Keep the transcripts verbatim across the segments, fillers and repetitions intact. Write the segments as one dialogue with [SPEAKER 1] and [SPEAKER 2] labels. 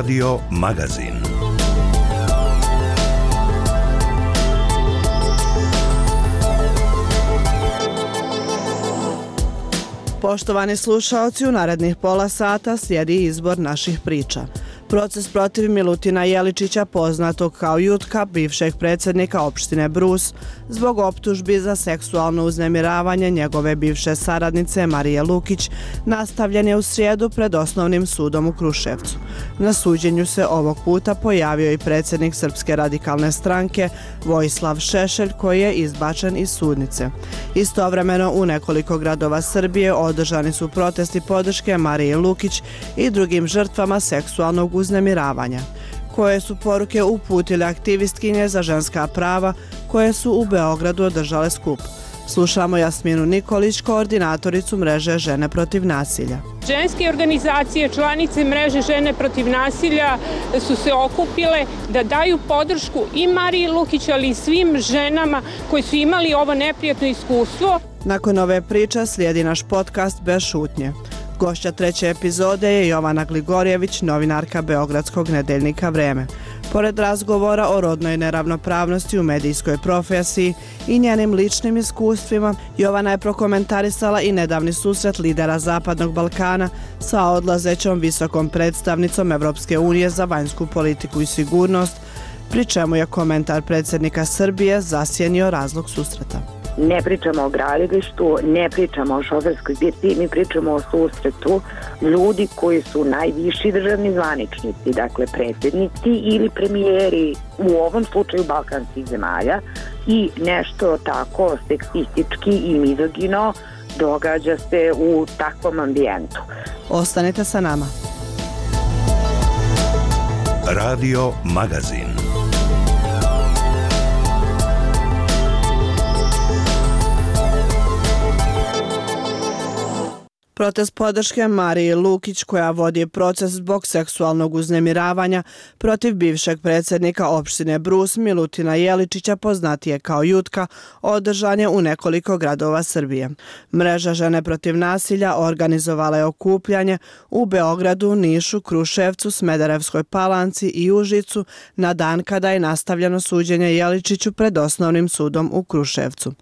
[SPEAKER 1] Radio Magazin.
[SPEAKER 2] Poštovani slušaoci, u narednih pola sata slijedi izbor naših priča. Proces protiv Milutina Jeličića, poznatog kao Jutka, bivšeg predsjednika opštine Brus, zbog optužbi za seksualno uznemiravanje njegove bivše saradnice Marije Lukić, nastavljen je u srijedu pred Osnovnim sudom u Kruševcu. Na suđenju se ovog puta pojavio i predsjednik Srpske radikalne stranke Vojislav Šešelj, koji je izbačen iz sudnice. Istovremeno u nekoliko gradova Srbije održani su protesti podrške Marije Lukić i drugim žrtvama seksualnog uznemiravanja. Koje su poruke uputile aktivistkinje za ženska prava koje su u Beogradu održale skup? Slušamo Jasminu Nikolić, koordinatoricu mreže Žene protiv nasilja.
[SPEAKER 3] Ženske organizacije, članice mreže Žene protiv nasilja su se okupile da daju podršku i Mariji Lukić, ali i svim ženama koji su imali ovo neprijatno iskustvo.
[SPEAKER 2] Nakon ove priče slijedi naš podcast Bez šutnje. Gošća treće epizode je Jovana Gligorjević, novinarka beogradskog nedeljnika Vreme. Pored razgovora o rodnoj neravnopravnosti u medijskoj profesiji i njenim ličnim iskustvima, Jovana je prokomentarisala i nedavni susret lidera Zapadnog Balkana sa odlazećom visokom predstavnicom Evropske unije za vanjsku politiku i sigurnost, pri čemu je komentar predsjednika Srbije zasjenio razlog susreta.
[SPEAKER 4] Ne pričamo o gradilištu, ne pričamo o šoferskoj birti, mi pričamo o susretu ljudi koji su najviši državni zvaničnici, dakle predsjednici ili premijeri, u ovom slučaju balkanskih zemalja, i nešto tako seksistički i mizogino događa se u takvom ambijentu.
[SPEAKER 2] Ostanite sa nama.
[SPEAKER 1] Radio Magazin.
[SPEAKER 2] Protest podrške Mariji Lukić, koja vodi proces zbog seksualnog uznemiravanja protiv bivšeg predsjednika opštine Brus Milutina Jeličića, poznatije kao Jutka, održan je u nekoliko gradova Srbije. Mreža Žene protiv nasilja organizovala je okupljanje u Beogradu, Nišu, Kruševcu, Smederevskoj Palanci i Užicu na dan kada je nastavljeno suđenje Jeličiću pred Osnovnim sudom u Kruševcu.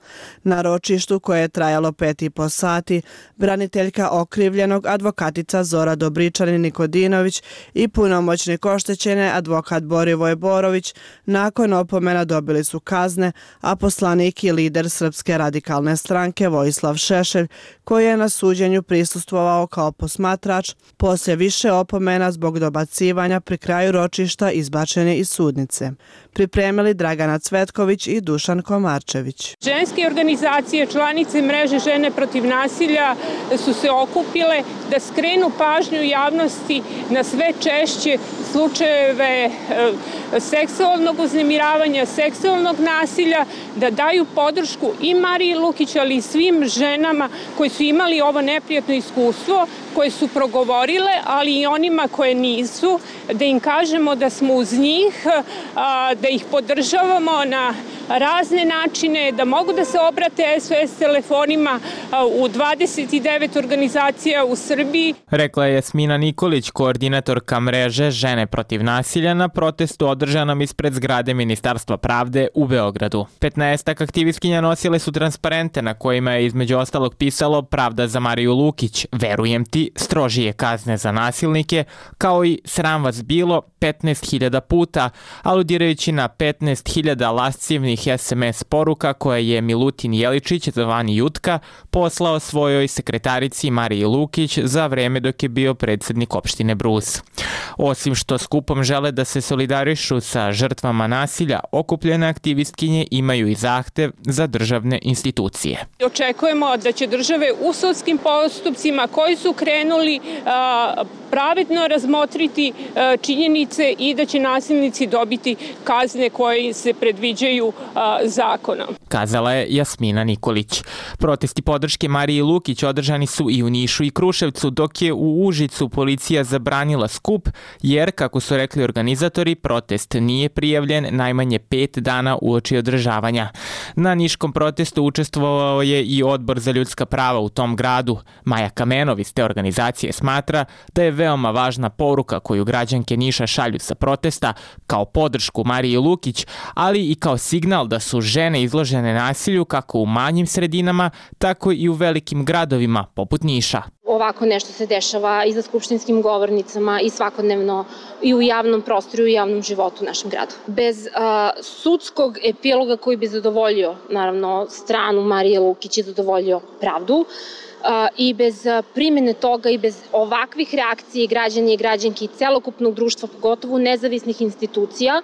[SPEAKER 2] Na ročištu, koje je trajalo pet i po sati, braniteljka okrivljenog advokatica Zora Dobričanin-Nikodinović i punomoćnik oštećene advokat Borivoje Borović nakon opomena dobili su kazne, a poslanik i lider Srpske radikalne stranke Vojislav Šešelj, koji je na suđenju prisustvovao kao posmatrač, poslije više opomena zbog dobacivanja pri kraju ročišta izbačen je iz sudnice. Pripremili Dragana Cvetković i Dušan Komarčević.
[SPEAKER 3] Ženske organizacije, članice mreže Žene protiv nasilja su se okupile da skrenu pažnju javnosti na sve češće slučajeve seksualnog uznemiravanja, seksualnog nasilja, da daju podršku i Mariji Lukić, ali i svim ženama koji su imali ovo neprijatno iskustvo, koje su progovorile, ali i onima koje nisu, da im kažemo da smo uz njih, da ih podržavamo na razne načine, da mogu da se obrate S O S telefonima u dvadeset devet organizacija u Srbiji.
[SPEAKER 5] Rekla je Jasmina Nikolić, koordinatorka mreže Žene protiv nasilja na protestu održanom ispred zgrade Ministarstva pravde u Beogradu. Petnaestak aktivistkinja nosile su transparente na kojima je između ostalog pisalo "Pravda za Mariju Lukić, verujem ti, strožije kazne za nasilnike", kao i "Sram vas bilo" petnaest hiljada puta, aludirajući na petnaest hiljada lascivnih S M S poruka koje je Milutin Jeličić, zvani Jutka, poslao svojoj sekretarici Mariji Lukić za vreme dok je bio predsjednik opštine Brus. Osim što skupom žele da se solidarišu sa žrtvama nasilja, okupljene aktivistkinje imaju i zahtev za državne institucije.
[SPEAKER 3] Očekujemo da će države u sudskim postupcima koji su krenuli pravedno razmotriti činjenice i da će nasilnici dobiti kazne koje se predviđaju a, zakona.
[SPEAKER 5] Kazala je Jasmina Nikolić. Protesti podrške Mariji Lukić održani su i u Nišu i Kruševcu, dok je u Užicu policija zabranila skup, jer, kako su rekli organizatori, protest nije prijavljen najmanje pet dana uoči održavanja. Na niškom protestu učestvovao je i Odbor za ljudska prava u tom gradu. Maja Kamenov iz te organizacije smatra da je veoma važna poruka koju građanke Niša šalju sa protesta kao podršku Mariji Lukić, ali i kao signal da su žene izložene nasilju kako u manjim sredinama, tako i u velikim gradovima poput Niša.
[SPEAKER 6] Ovako nešto se dešava i za skupštinskim govornicama i svakodnevno i u javnom prostoru i u javnom životu u našem gradu. Bez a, sudskog epiloga koji bi zadovoljio, naravno, stranu Marije Lukić i zadovoljio pravdu, a, i bez a, primjene toga i bez ovakvih reakcija građana i građanki i celokupnog društva, pogotovo nezavisnih institucija,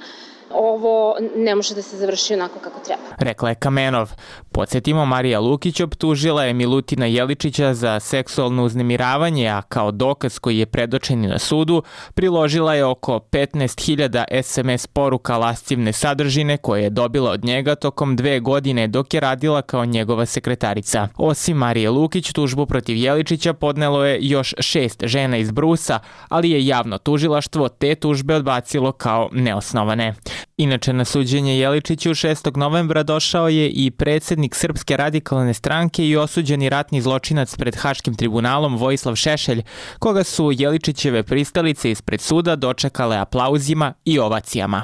[SPEAKER 6] ovo ne može da se završi onako kako treba.
[SPEAKER 5] Rekla je Kamenov. Podsjetimo, Marija Lukić optužila je Milutina Jeličića za seksualno uznemiravanje, a kao dokaz koji je predočen na sudu priložila je oko petnaest hiljada es em es poruka lascivne sadržine koje je dobila od njega tokom dve godine dok je radila kao njegova sekretarica. Osim Marije Lukić, tužbu protiv Jeličića podnelo je još šest žena iz Brusa, ali je javno tužilaštvo te tužbe odbacilo kao neosnovane. Inače, na suđenje Jeličiću šestog novembra došao je i predsjednik Srpske radikalne stranke i osuđeni ratni zločinac pred Haškim tribunalom Vojislav Šešelj, koga su Jeličićeve pristalice ispred suda dočekale aplauzima i ovacijama.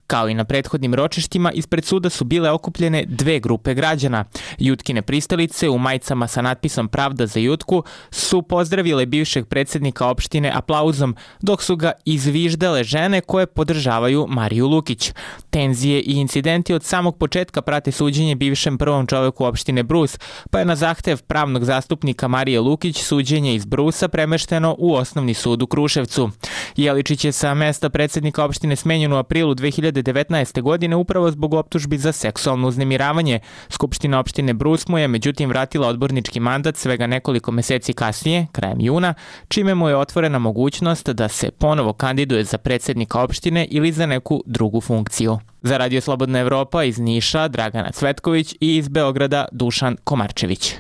[SPEAKER 5] Kao i na prethodnim ročištima, ispred suda su bile okupljene dve grupe građana. Jutkine pristalice u majicama sa natpisom Pravda za Jutku su pozdravile bivšeg predsjednika opštine aplauzom, dok su ga izviždale žene koje podržavaju Mariju Lukić. Tenzije i incidenti od samog početka prate suđenje bivšem prvom čoveku opštine Brus, pa je na zahtev pravnog zastupnika Marije Lukić suđenje iz Brusa premešteno u Osnovni sud u Kruševcu. Jeličić je sa mesta predsjednika opštine smenjen u aprilu dve hiljade devetnaeste. godine upravo zbog optužbi za seksualno uznemiravanje. Skupština opštine Brus mu je međutim vratila odbornički mandat svega nekoliko meseci kasnije, krajem juna, čime mu je otvorena mogućnost da se ponovo kandiduje za predsjednika opštine ili za neku drugu funkciju. Za Radio Slobodna Evropa iz Niša Dragana Cvetković i iz Beograda Dušan Komarčević.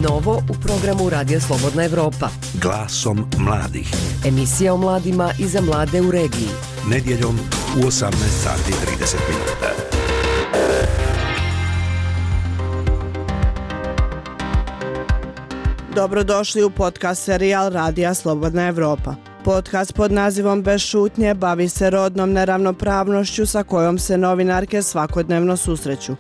[SPEAKER 7] Novo u programu Radio Slobodna Evropa.
[SPEAKER 1] Glasom mladih.
[SPEAKER 7] Emisija o mladima i za mlade u regiji.
[SPEAKER 1] Nedjeljom u osamnaest sati i trideset minuta.
[SPEAKER 2] Dobrodošli u podcast serijal Radija Slobodna Evropa. Podcast pod nazivom Bez šutnje bavi se rodnom neravnopravnošću sa kojom se novinarke svakodnevno susreću.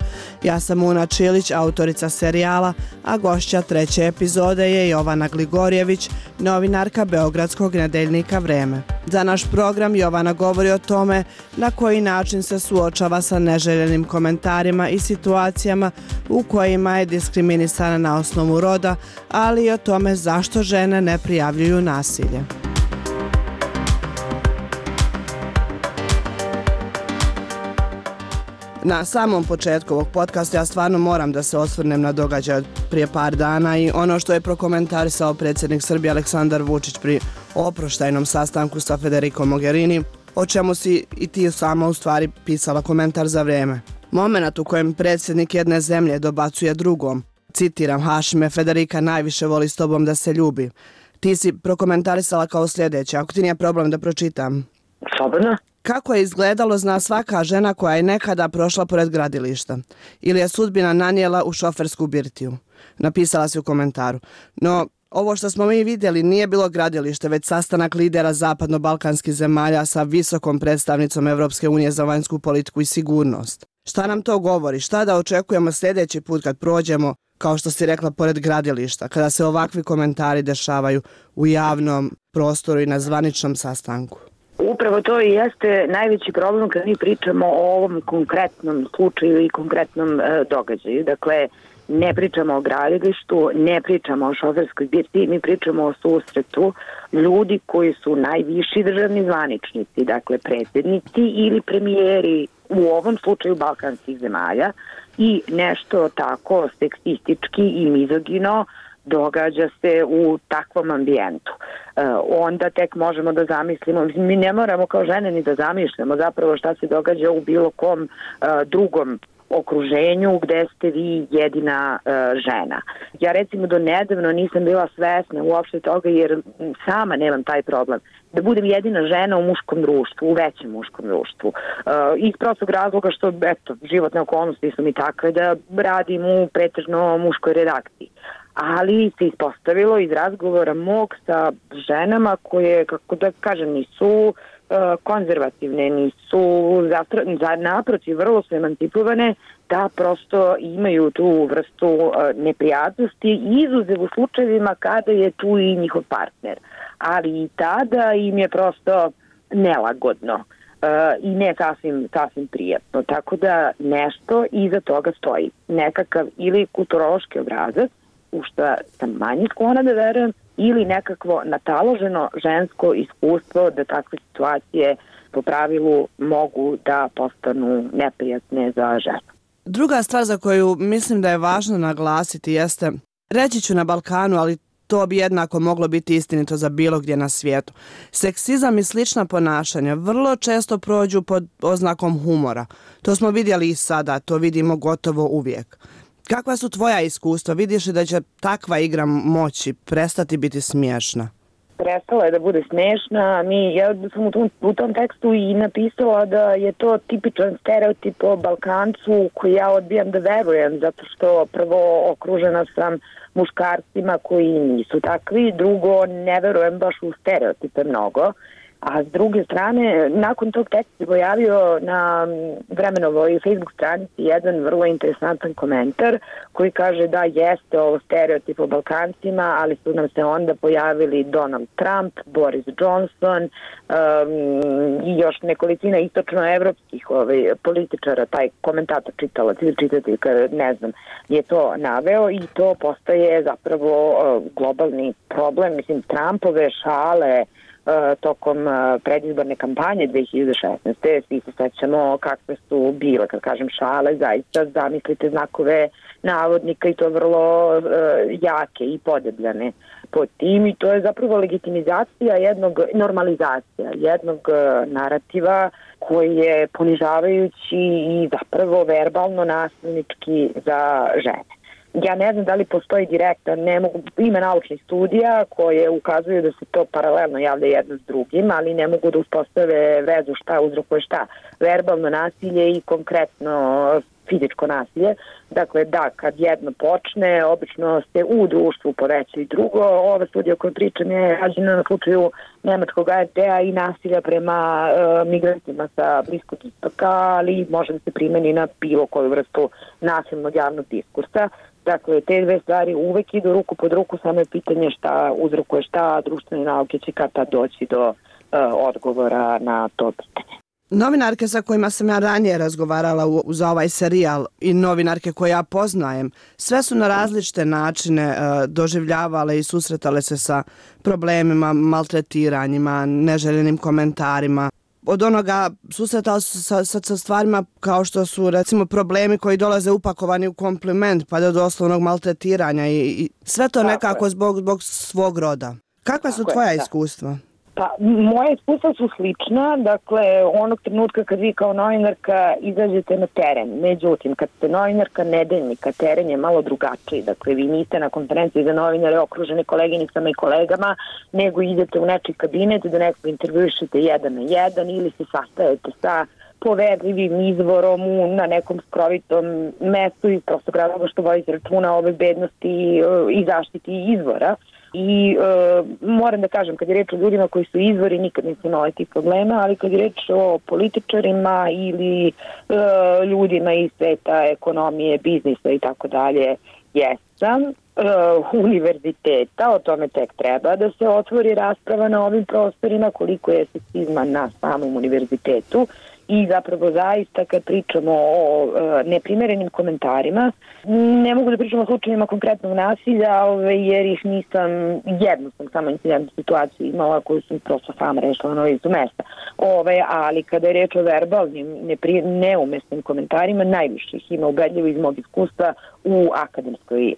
[SPEAKER 2] Ja sam Una Čilić, autorica serijala, a gošća treće epizode je Jovana Gligorjević, novinarka beogradskog nedeljnika Vreme. Za naš program Jovana govori o tome na koji način se suočava sa neželjenim komentarima i situacijama u kojima je diskriminisana na osnovu roda, ali i o tome zašto žene ne prijavljuju nasilje. Na samom početku ovog podcasta ja stvarno moram da se osvrnem na događaj od prije par dana i ono što je prokomentarisao predsjednik Srbije Aleksandar Vučić pri oproštajnom sastanku sa Federico Mogherini, o čemu si i ti sama u stvari pisala komentar za Vreme. Momenat u kojem predsjednik jedne zemlje dobacuje drugom, citiram, Hašime, Federika najviše voli s tobom da se ljubi. Ti si prokomentarisala kao sljedeće, ako ti nije problem da pročitam.
[SPEAKER 4] Slobodno.
[SPEAKER 2] Kako je izgledalo zna svaka žena koja je nekada prošla pored gradilišta ili je sudbina nanijela u šofersku birtiju. Napisala si u komentaru. No, ovo što smo mi vidjeli nije bilo gradilište, već sastanak lidera zapadno-balkanskih zemalja sa visokom predstavnicom Evropske unije za vanjsku politiku i sigurnost. Šta nam to govori? Šta da očekujemo sljedeći put kad prođemo, kao što si rekla, pored gradilišta, kada se ovakvi komentari dešavaju u javnom prostoru i na zvaničnom sastanku?
[SPEAKER 4] Upravo to i jeste najveći problem kad mi pričamo o ovom konkretnom slučaju i konkretnom e, događaju. Dakle, ne pričamo o gradilištu, ne pričamo o šoferskoj birtiji, mi pričamo o susretu ljudi koji su najviši državni zvaničnici, dakle predsjednici ili premijeri u ovom slučaju balkanskih zemalja i nešto tako seksistički i mizogino događa se u takvom ambijentu. onda tek možemo da zamislimo. Mi ne moramo kao žene ni da zamišljamo zapravo šta se događa u bilo kom drugom okruženju gde ste vi jedina uh, žena. Ja recimo do nedavno nisam bila svesna uopšte toga jer sama nemam taj problem. Da budem jedina žena u muškom društvu, u većem muškom društvu. Uh, iz prostog razloga što, eto, životne okolnosti su mi takve da radim u pretežno muškoj redakciji. Ali se ispostavilo iz razgovora mog sa ženama koje, kako da kažem, nisu konzervativne, nisu za naprotiv, vrlo su emancipovane, da prosto imaju tu vrstu neprijatnosti, izuzev u slučajevima kada je tu i njihov partner. Ali i tada im je prosto nelagodno i ne sasvim, sasvim prijatno. Tako da nešto iza toga stoji. Nekakav ili kulturološki obrazac, u što sam manje sklona da verujem, ili nekakvo nataloženo žensko iskustvo da takve situacije po pravilu mogu da postanu neprijatne za ženu.
[SPEAKER 2] Druga stvar za koju mislim da je važno naglasiti jeste, reći ću na Balkanu, ali to bi jednako moglo biti istinito za bilo gdje na svijetu. Seksizam i slična ponašanja vrlo često prođu pod oznakom humora. To smo vidjeli i sada, to vidimo gotovo uvijek. Kakva su tvoja iskustva? Vidiš li da će takva igra moći prestati biti smiješna?
[SPEAKER 4] Prestala je da bude smiješna. Mi, ja sam u tom, u tom tekstu i napisala da je to tipičan stereotip o Balkancu koji ja odbijam da verujem, zato što prvo okružena sam muškarcima koji nisu takvi, drugo ne verujem baš u stereotipe mnogo. A s druge strane, nakon tog teksta se pojavio na Vremenovoj Facebook stranici jedan vrlo interesantan komentar koji kaže da jeste ovo stereotip o Balkancima, ali su nam se onda pojavili Donald Trump, Boris Johnson um, i još nekolicina istočnoevropskih ovaj, političara, taj komentator čitalac ili čitateljka, ne znam, je to naveo i to postaje zapravo uh, globalni problem. Mislim, Trumpove šale tokom predizborne kampanje dve hiljade šesnaeste. Svi se sećamo kakve su bile, kad kažem šale, zaista zamislite znakove navodnika i to vrlo uh, jake i podebljane pod tim i to je zapravo legitimizacija jednog, normalizacija jednog uh, narativa koji je ponižavajući i zapravo verbalno nasilnički za žene. Ja ne znam da li postoji direktan, ne mogu, ima naučnih studija koje ukazuju da se to paralelno javlja jedno s drugim, ali ne mogu da uspostave vezu šta uzrokuje šta. Verbalno nasilje i konkretno fizičko nasilje. Dakle, da, kad jedno počne, obično se u društvu poveća i drugo. Ova studija o kojoj pričam je rađena na slučaju nemačkog A R T-a i nasilja prema e, migrantima sa Bliskog istoka, ali može da se primeni na bilo koju vrstu nasilnog javnog diskursa. Dakle, te dve stvari uvek idu ruku pod ruku, samo je pitanje šta uzrokuje šta, društvene nauke će kad tad doći do uh, odgovora na to pitanje.
[SPEAKER 2] Novinarke sa kojima sam ja ranije razgovarala u, za ovaj serijal i novinarke koje ja poznajem, sve su na različite načine uh, doživljavale i susretale se sa problemima, maltretiranjima, neželjenim komentarima. Od onoga susretali su sa, sa, sa stvarima kao što su recimo problemi koji dolaze upakovani u kompliment pa do doslovnog maltretiranja i, i sve to nekako zbog, zbog svog roda. Kakva su tvoja iskustva?
[SPEAKER 4] Pa, moje iskustva su slična, dakle, onog trenutka kad vi kao novinarka izađete na teren, međutim, kad ste novinarka nedeljnika, teren je malo drugačiji, dakle, vi niste na konferenciji za novinare okruženi koleginicama i kolegama, nego idete u nečiji kabinet da nekog intervjušete jedan na jedan ili se sastajete sa poverljivim izvorom u, na nekom skrovitom mestu iz prostog razloga što vodite računa o bezbednosti i zaštiti izvora. I e, moram da kažem, kad je reč o ljudima koji su izvori, nikad nisam imala tih problema, ali kad je reč o političarima ili e, ljudima iz sveta ekonomije, biznisa i tako dalje, jesam. E, univerziteta, o tome tek treba da se otvori rasprava na ovim prostorima, koliko je seksizma na samom univerzitetu. I zapravo zaista kad pričamo o e, neprimerenim komentarima, ne mogu da pričamo o slučajima konkretnog nasilja, ove, jer ih nisam, jednu sam samo incidentnu situaciju imala koju sam prosto sama rešila na licu mesta. Ove, ali kada je reč o verbalnim, nepri, neumesnim komentarima, najviše ih ima ubedljivo iz mog iskustva u akademskoj e,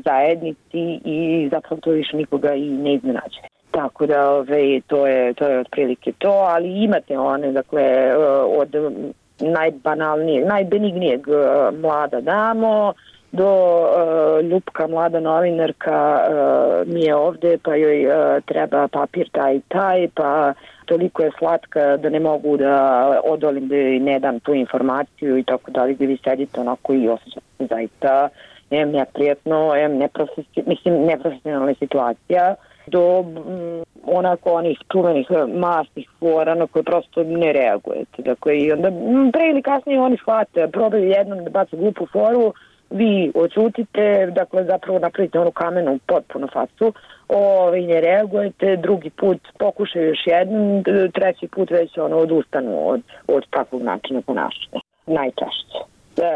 [SPEAKER 4] zajednici i zapravo to više nikoga i ne iznenađuje. Tako da ove, to je to je otprilike to, ali imate one, dakle, od najbanalnijeg, najbenignijeg mlada damo do uh, ljupka mlada novinarka uh, mi je ovde pa joj uh, treba papir taj i taj, pa toliko je slatka da ne mogu da odolim da joj ne dam tu informaciju i tako dalje, gdje vi sedite onako i osjećate se zaista em neprijatno, em neprofesionalna, mislim neprofesionalna situacija, do m, onako onih čuvenih masnih fora na koje prosto ne reagujete. Dakle, i onda m, pre ili kasnije oni shvate, probaju jednom da baca glupu foru, vi odsutite, dakle zapravo napravite onu kamenu potpuno facu, ovaj, ne reagujete, drugi put pokušaju još jednom, treći put već ono odustanu od, od takvog načina ponašanja. Najčešće.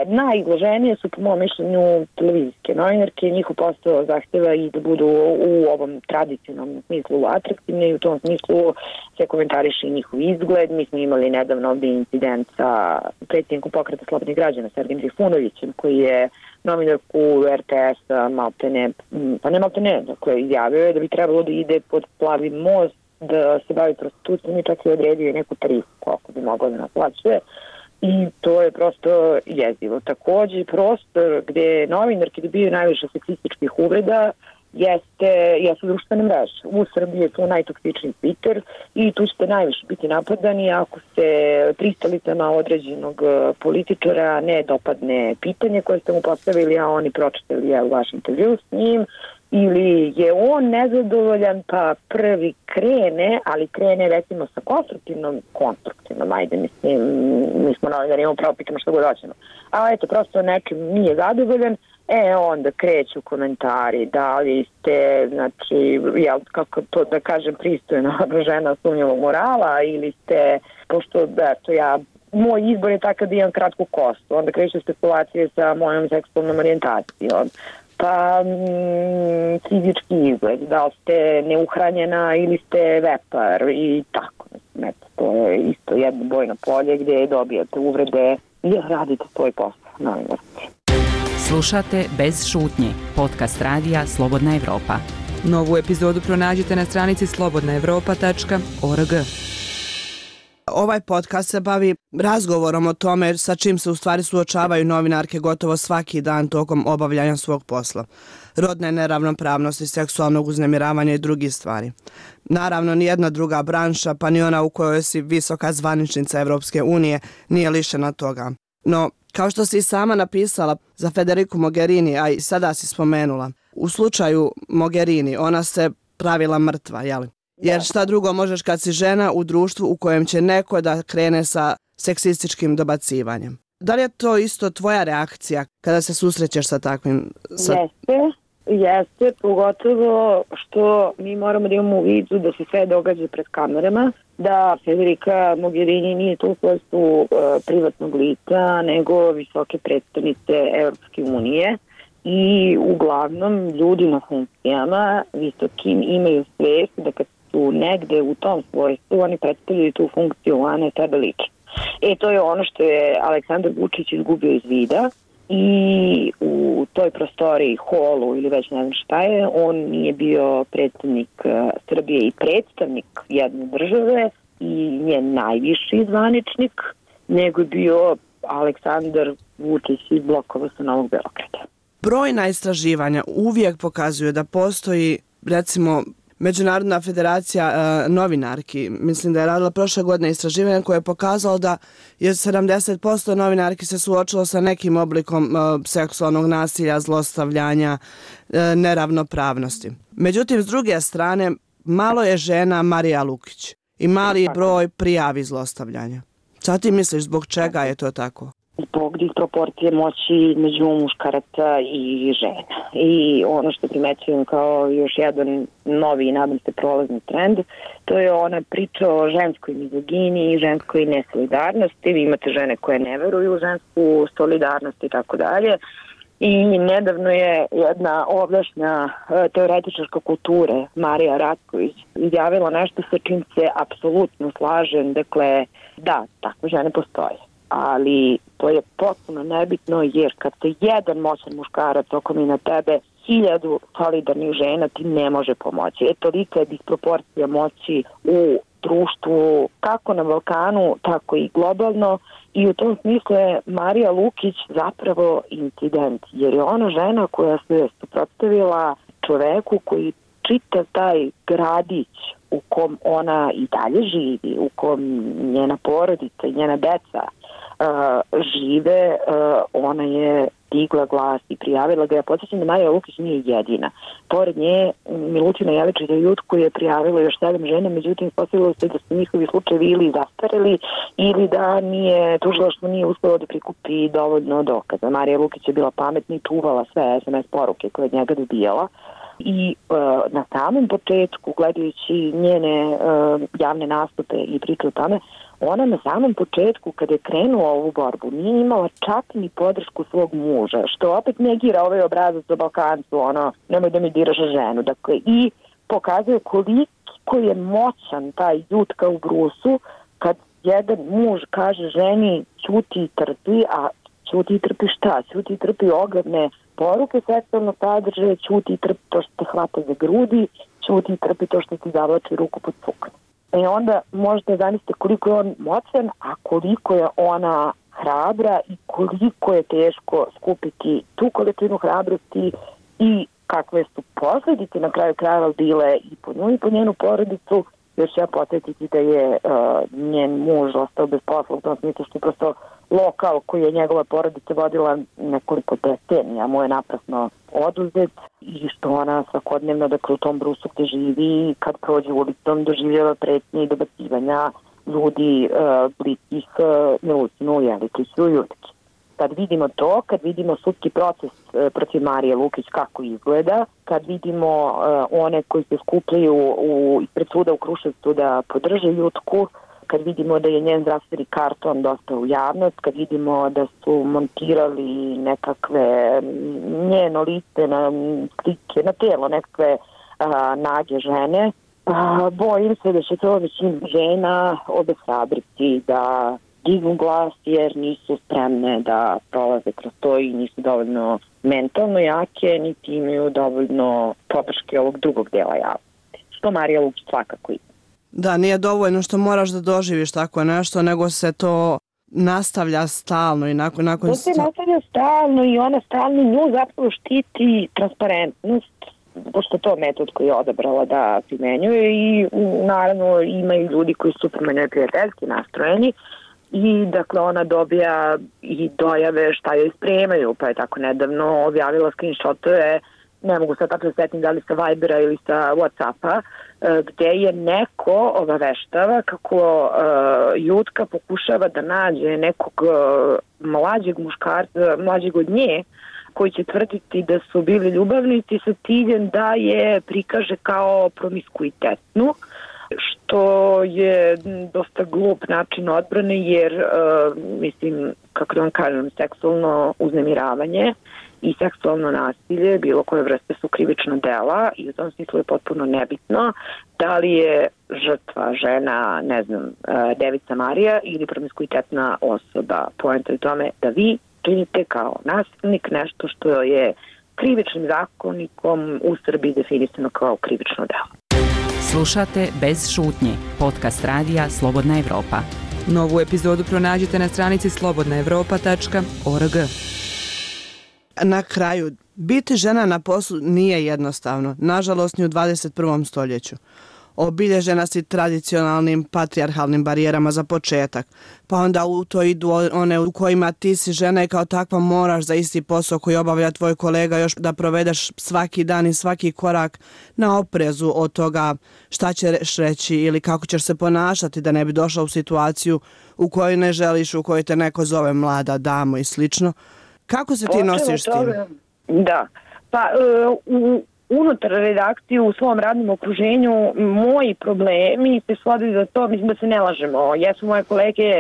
[SPEAKER 4] Najizloženije su po mom mišljenju televizijske novinarke, njihov posao zahteva i da budu u ovom tradicionalnom smislu atraktivne i u tom smislu se komentariše njihov izgled. Mi smo imali nedavno ovdje incident sa predsjednikom Pokreta slobodnih građana Sergejem Trifunovićem, koji je novinarku er te es-a maltene, pa ne maltene, dakle izjavio je da bi trebalo da ide pod Plavi most, da se bavi prostitucijom i čak i odredio neku tarifu koliko bi moglo da naplaćuje. I to je prosto jezivo. Također prostor gdje novinarki dobiju najviše seksističkih uvreda jeste, jesu društvene mreže. U Srbiji je to najtoksičniji Twitter i tu ćete najviše biti napadani ako se pristalicama određenog političara ne dopadne pitanje koje ste mu postavili, a oni pročitali je u vaš intervju s njim, ili je on nezadovoljan pa prvi krene, ali krene recimo sa konstruktivnom, konstruktivnom, ajde mislim, mi smo novinari, imamo pravo pitamo što god hoćemo. A eto, prosto nečim nije zadovoljan, e onda kreću komentari, da li ste, znači, jel, kako to da kažem, pristojna žena sumnjivog morala, ili ste, pošto, eto, ja, moj izbor je takav da imam kratku kostu, onda kreću spekulacije sa mojom seksualnom orijentacijom, pa mm, fizički izgled, da li ste neuhranjena ili ste vepar i tako. Eto, to je isto jedno bojno polje gdje dobijate uvrede i radite svoj posao, novinarski.
[SPEAKER 8] Slušate Bez šutnje, podcast radija Slobodna Evropa.
[SPEAKER 9] Novu epizodu pronađite na stranici slobodna evropa tačka org.
[SPEAKER 2] Ovaj podcast se bavi razgovorom o tome sa čim se u stvari suočavaju novinarke gotovo svaki dan tokom obavljanja svog posla. Rodne neravnopravnosti, seksualnog uznemiravanja i drugih stvari. Naravno, nijedna druga branša, pa ni ona u kojoj si visoka zvaničnica Evropske unije, nije lišena toga. No, kao što si i sama napisala za Federiku Mogherini, a i sada si spomenula, u slučaju Mogherini ona se pravila mrtva, jeli? Jer šta drugo možeš kad si žena u društvu u kojem će neko da krene sa seksističkim dobacivanjem? Da li je to isto tvoja reakcija kada se susrećeš sa takvim? Sa...
[SPEAKER 4] Jeste, jeste, pogotovo što mi moramo da imamo u vidu da se sve događa pred kamerama, da Federica Mogherini nije to u svojstvu uh, privatnog lica, nego visoke predstavnice Evropske unije. I uglavnom ljudi na funkcijama visokim imaju svijest da kad su negde u tom svojstvu, oni predstavljaju tu funkciju, a ne sebe lično. E, to je ono što je Aleksandar Vučić izgubio iz vida i u toj prostoriji, holu ili već ne znam šta je, on nije bio predstavnik Srbije i predstavnik jedne države i njen najviši zvaničnik, nego je bio Aleksandar Vučić iz blokova sa Novog Beograda.
[SPEAKER 2] Brojna istraživanja uvijek pokazuju da postoji, recimo, Međunarodna federacija e, novinarki, mislim da je radila prošle godine istraživanje koje je pokazalo da je sedamdeset posto novinarki se suočilo sa nekim oblikom e, seksualnog nasilja, zlostavljanja, e, neravnopravnosti. Međutim, s druge strane, malo je žena Marija Lukić i mali broj prijavi zlostavljanja. Šta ti misliš, zbog čega je to tako?
[SPEAKER 4] Zbog disproporcije moći među muškaraca i žena. I ono što primećujem kao još jedan novi i nadam se prolazni trend, to je ona priča o ženskoj mizogini i ženskoj nesolidarnosti. Vi imate žene koje ne veruju u žensku solidarnost i tako dalje. I nedavno je jedna ovdašnja teoretičarka kulture, Marija Ratković, izjavila nešto sa čim se apsolutno slažem. Dakle, da, takve žene postoje. Ali to je potpuno nebitno jer kad se jedan moćan muškarac oko mi na tebe hiljadu solidarnih žena ti ne može pomoći. E, tolika je disproporcija moći u društvu, kako na Balkanu, tako i globalno, i u tom smislu je Marija Lukić zapravo incident, jer je ona žena koja se suprotstavila čoveku koji čitav taj gradić u kom ona i dalje živi, u kom njena porodica i njena deca uh, žive, uh, ona je digla glas i prijavila ga. Ja podsjećam da Marija Lukić nije jedina. Pored nje Milutina Jeličić i Jutku je prijavila još sedam žena, međutim ispostavilo se da su njihovi slučajevi ili zastareli ili da nije tužilaštvo nije uspelo da prikupi dovoljno dokaza. Marija Lukić je bila pametna i čuvala sve es em es poruke koje od njega dobijala. I uh, na samom početku, gledajući njene uh, javne nastupe i priče o tome, ona na samom početku, kada je krenula ovu borbu, nije imala čak ni podršku svog muža, što opet negira ovaj obrazac o Balkancu, ono, nemoj da mi diraš ženu. Dakle, i pokazuje koliko je moćan taj Jutka u brusu, kad jedan muž kaže ženi ćuti i trpi, a ćuti i trpi šta? Ćuti i trpi ogledne poruke seksualnog sadržaja, ćuti i trpi to što te hvata za grudi, ćuti i trpi to što ti zavlači ruku pod sukno. E onda možete zamisliti koliko je on moćan, a koliko je ona hrabra i koliko je teško skupiti tu količinu hrabrosti i kakve su posljedice na kraju krajeva bile i po nju i po njenu porodicu. Još ja podsjetiti da je uh, njen muž ostao bez posla u tom smislu što je prosto lokal koji je njegova porodica vodila nekoliko decenija mu je naprasno oduzet i što ona svakodnevno dakle u tom brusu gde živi kad prođe ulicom doživljava pretnje i dobacivanja ljudi uh, bliskih uh, Milutinu Jeličiću i Jutki. Kad vidimo to, kad vidimo sudski proces uh, protiv Marije Lukić kako izgleda, kad vidimo uh, one koji se skupljaju u, ispred suda u Kruševcu da podrže Jutku, kad vidimo da je njen zdravstveni karton dosta u javnost, kad vidimo da su montirali nekakve njeno lice na slike, na telo nekakve a, nage žene, a, bojim se da će to većina žena obeshrabriti da dignu glas jer nisu spremne da prolaze kroz to i nisu dovoljno mentalno jake, niti imaju dovoljno podrške ovog drugog dela javnosti. Što Marija Lukić svakako ima.
[SPEAKER 2] Da, nije dovoljno što moraš da doživiš tako nešto, nego se to nastavlja stalno i nakon... nakon
[SPEAKER 4] to se nastavlja stalno i ona stalno nju zapravo štiti transparentnost, pošto to metod koji je odabrala da primenjuje i naravno imaju ljudi koji su prema njoj prijateljski nastrojeni i dakle ona dobija i dojave šta joj spremaju, pa je tako nedavno objavila screenshotove, ne mogu sad tako da setim da li sa Vibera ili sa Whatsappa, gde je neko obaveštava kako uh, Jutka pokušava da nađe nekog uh, mlađeg muškarca, mlađeg od nje, koji će tvrditi da su bili ljubavnici sa ciljem da je prikaže kao promiskuitetnu, što je dosta glup način odbrane jer, uh, mislim, kako da vam kažem, seksualno uznemiravanje i seksualno nasilje, bilo koje vrste su krivična dela i u tom smislu je potpuno nebitno da li je žrtva žena, ne znam, devica Marija ili promiskuitetna osoba. Poenta je tome da vi činite kao nasilnik nešto što je krivičnim zakonikom u Srbiji definisano kao krivično delo.
[SPEAKER 8] Slušate Bez šutnje, podcast radija Slobodna Evropa.
[SPEAKER 9] Novu epizodu pronađite na stranici slobodna evropa tačka org.
[SPEAKER 2] Na kraju, biti žena na poslu nije jednostavno, nažalost ni u dvadeset prvom stoljeću. Obilježena si tradicionalnim patrijarhalnim barijerama za početak, pa onda u to idu one u kojima ti si žena i kao takva moraš za isti posao koji obavlja tvoj kolega još da provedeš svaki dan i svaki korak na oprezu od toga šta ćeš reći ili kako ćeš se ponašati da ne bi došla u situaciju u kojoj ne želiš, u kojoj te neko zove mlada damo i slično. Kako se ti nosiš s tim?
[SPEAKER 4] Da, pa u unutar redakcije u svom radnom okruženju moji problemi se svode za to, mislim da se ne lažemo, jesu moje kolege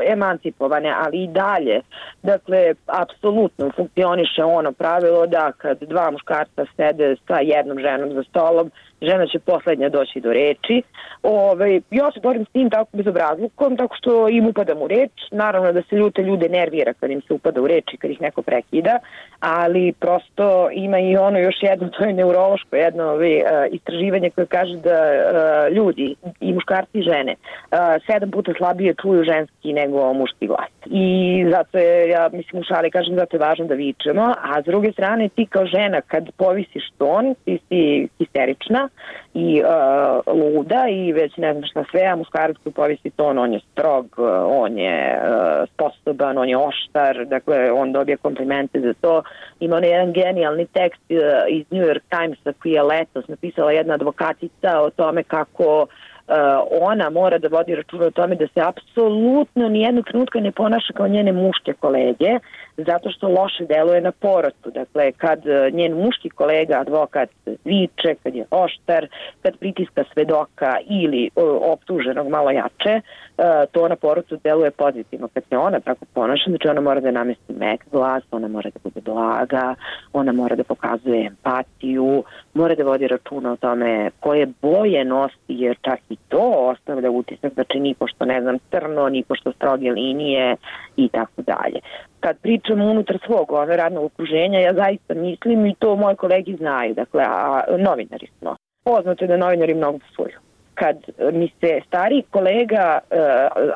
[SPEAKER 4] emancipovane, ali i dalje. Dakle, apsolutno funkcioniše ono pravilo da kad dva muškarca sede sa jednom ženom za stolom, žena će poslednja doći do reči. Ove, ja se borim s tim tako bezobrazlukom, tako što im upadam u reč. Naravno da se ljute ljude nervira kad im se upada u reč i kad ih neko prekida, ali prosto ima i ono još jedno, to je neurološko jedno ove, istraživanje koje kaže da a, ljudi, i muškarci i žene, a, sedam puta slabije čuju ženski nego muški glas. I zato je, ja mislim u šali kažem, zato je važno da vičemo, a s druge strane ti kao žena kad povisiš ton, ti si histerična i uh, luda i već ne znam šta sve, a muškarac koji povisi ton, on je strog, on je uh, sposoban, on je oštar, dakle on dobije komplimente za to. Ima onaj jedan genijalni tekst uh, iz New York Timesa koji je letos napisala jedna advokatica o tome kako Uh, ona mora da vodi računa o tome da se apsolutno nijednog trenutka ne ponaša kao njene muške kolege, zato što loše deluje na porotu. Dakle, kad njen muški kolega, advokat, viče, kad je oštar, kad pritiska svedoka ili uh, optuženog malo jače, uh, to na porotu deluje pozitivno. Kad se ona tako ponaša, znači ona mora da namesti mek glas, ona mora da bude blaga, ona mora da pokazuje empatiju, mora da vodi računa o tome koje boje nosi, jer čak i to ostavlja utisak, znači ni pošto ne znam crno, ni pošto stroge linije i tako dalje. Kad pričamo unutar svog ove radnog okruženja, ja zaista mislim i to moji kolegi znaju, dakle, a novinari smo. Poznato je da novinari mnogo psuju. Kad mi se stariji kolega,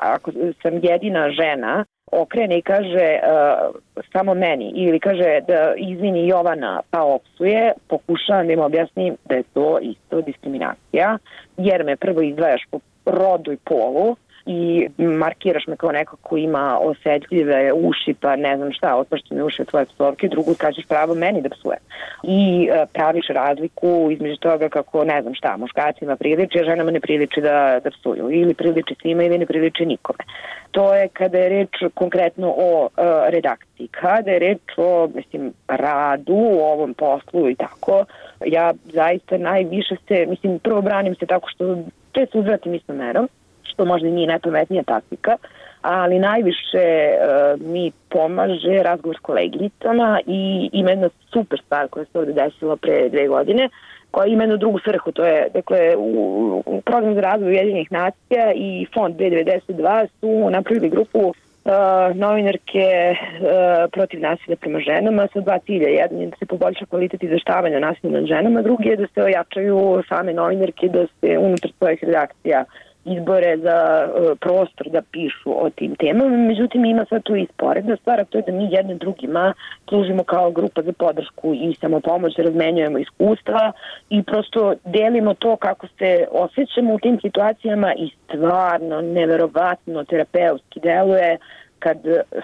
[SPEAKER 4] ako sam jedina žena, okrene i kaže uh, samo meni ili kaže da izvini Jovana pa opsuje, pokušavam da im objasnim da je to isto diskriminacija, jer me prvo izdvajaš po rodu i polu i markiraš me kao neko ko ima osetljive uši, pa ne znam šta, otpašćene uši od tvoje psovke, drugu skačeš pravo meni da psuje. I uh, praviš razliku između toga kako, ne znam šta, muškacima priliči, a ženama ne priliči da, da psuju. Ili priliči svima ili ne priliči nikome. To je kada je reč konkretno o uh, redakciji. Kada je reč o, mislim, radu, o ovom poslu i tako, ja zaista najviše se, mislim, prvo branim se tako što često uzvratim istom merom, što možda nije najpametnija taktika, ali najviše uh, mi pomaže razgovor s koleginicama i ima jedna super stvar koja se ovde desila pre dve godine, koja ima jednu drugu svrhu, to je, dakle, u, u program za razvoj Ujedinjenih nacija i fond B devedeset dva su napravili grupu uh, novinarke uh, protiv nasilja prema ženama sa dva cilja. Jedan je da se poboljša kvalitet izveštavanja nasilja nad ženama, drugi je da se ojačaju same novinarke, da se unutar svojih redakcija izbore za uh, prostor da pišu o tim temama. Međutim, ima sad tu i sporedna stvar, a to je da mi jedne drugima služimo kao grupa za podršku i samopomoć, razmenjujemo iskustva i prosto delimo to kako se osjećamo u tim situacijama i stvarno, neverovatno terapeutski deluje kad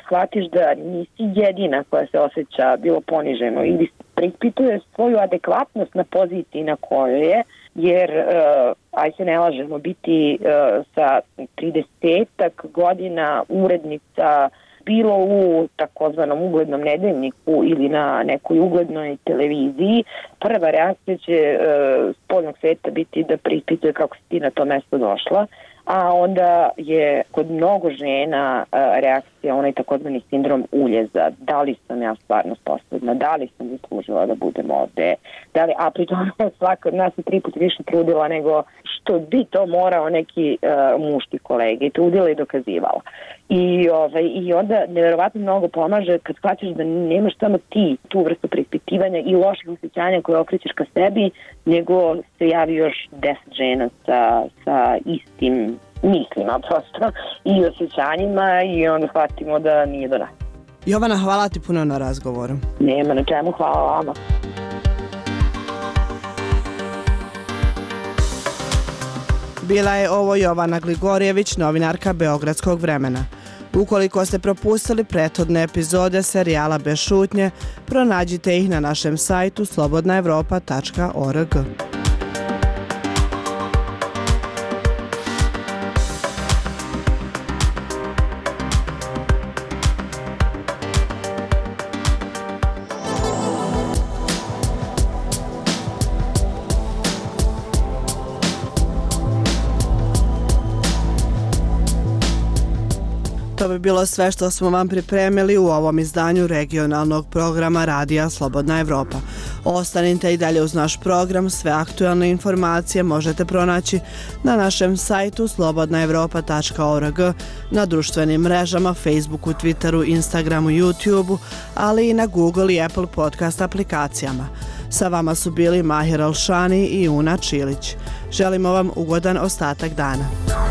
[SPEAKER 4] shvatiš da nisi jedina koja se osjeća bilo poniženo ili preispituje svoju adekvatnost na poziciji na kojoj je, jer, uh, aj se ne lažemo, biti uh, sa tridesetak godina urednica bilo u takozvanom uglednom nedeljniku ili na nekoj uglednoj televiziji, prva reakcija će uh, spoljnog sveta biti da preispituje kako si ti na to mesto došla, a onda je kod mnogo žena uh, reakcija onaj takozvani sindrom uljeza. Da li sam ja stvarno sposobna, da li sam zaslužila da budem ovde, da li, a pri tome svaka od nas je tri put više trudila nego što bi to morao neki uh, muški kolege i trudila i dokazivala. I, ovaj, i onda nevjerovatno mnogo pomaže kad shvaćaš da nemaš samo ti tu vrstu preispitivanja i loših osjećanja koje okrećeš ka sebi, nego se javi još deset žena sa, sa istim mislima prosto i osjećanjima i onda shvatimo da nije do nas.
[SPEAKER 2] Jovana, hvala ti puno na razgovoru.
[SPEAKER 4] Nema na čemu, hvala vama.
[SPEAKER 2] Bila je ovo Jovana Gligorijević, novinarka Beogradskog vremena. Ukoliko ste propustili prethodne epizode serijala Bez šutnje, pronađite ih na našem sajtu slobodna evropa tačka org. To bi bi bilo sve što smo vam pripremili u ovom izdanju regionalnog programa Radija Slobodna Evropa. Ostanite i dalje uz naš program, sve aktualne informacije možete pronaći na našem sajtu slobodna evropa tačka org, na društvenim mrežama, Facebooku, Twitteru, Instagramu, YouTubeu, ali i na Google i Apple podcast aplikacijama. Sa vama su bili Mahir Alšani i Una Čilić. Želimo vam ugodan ostatak dana.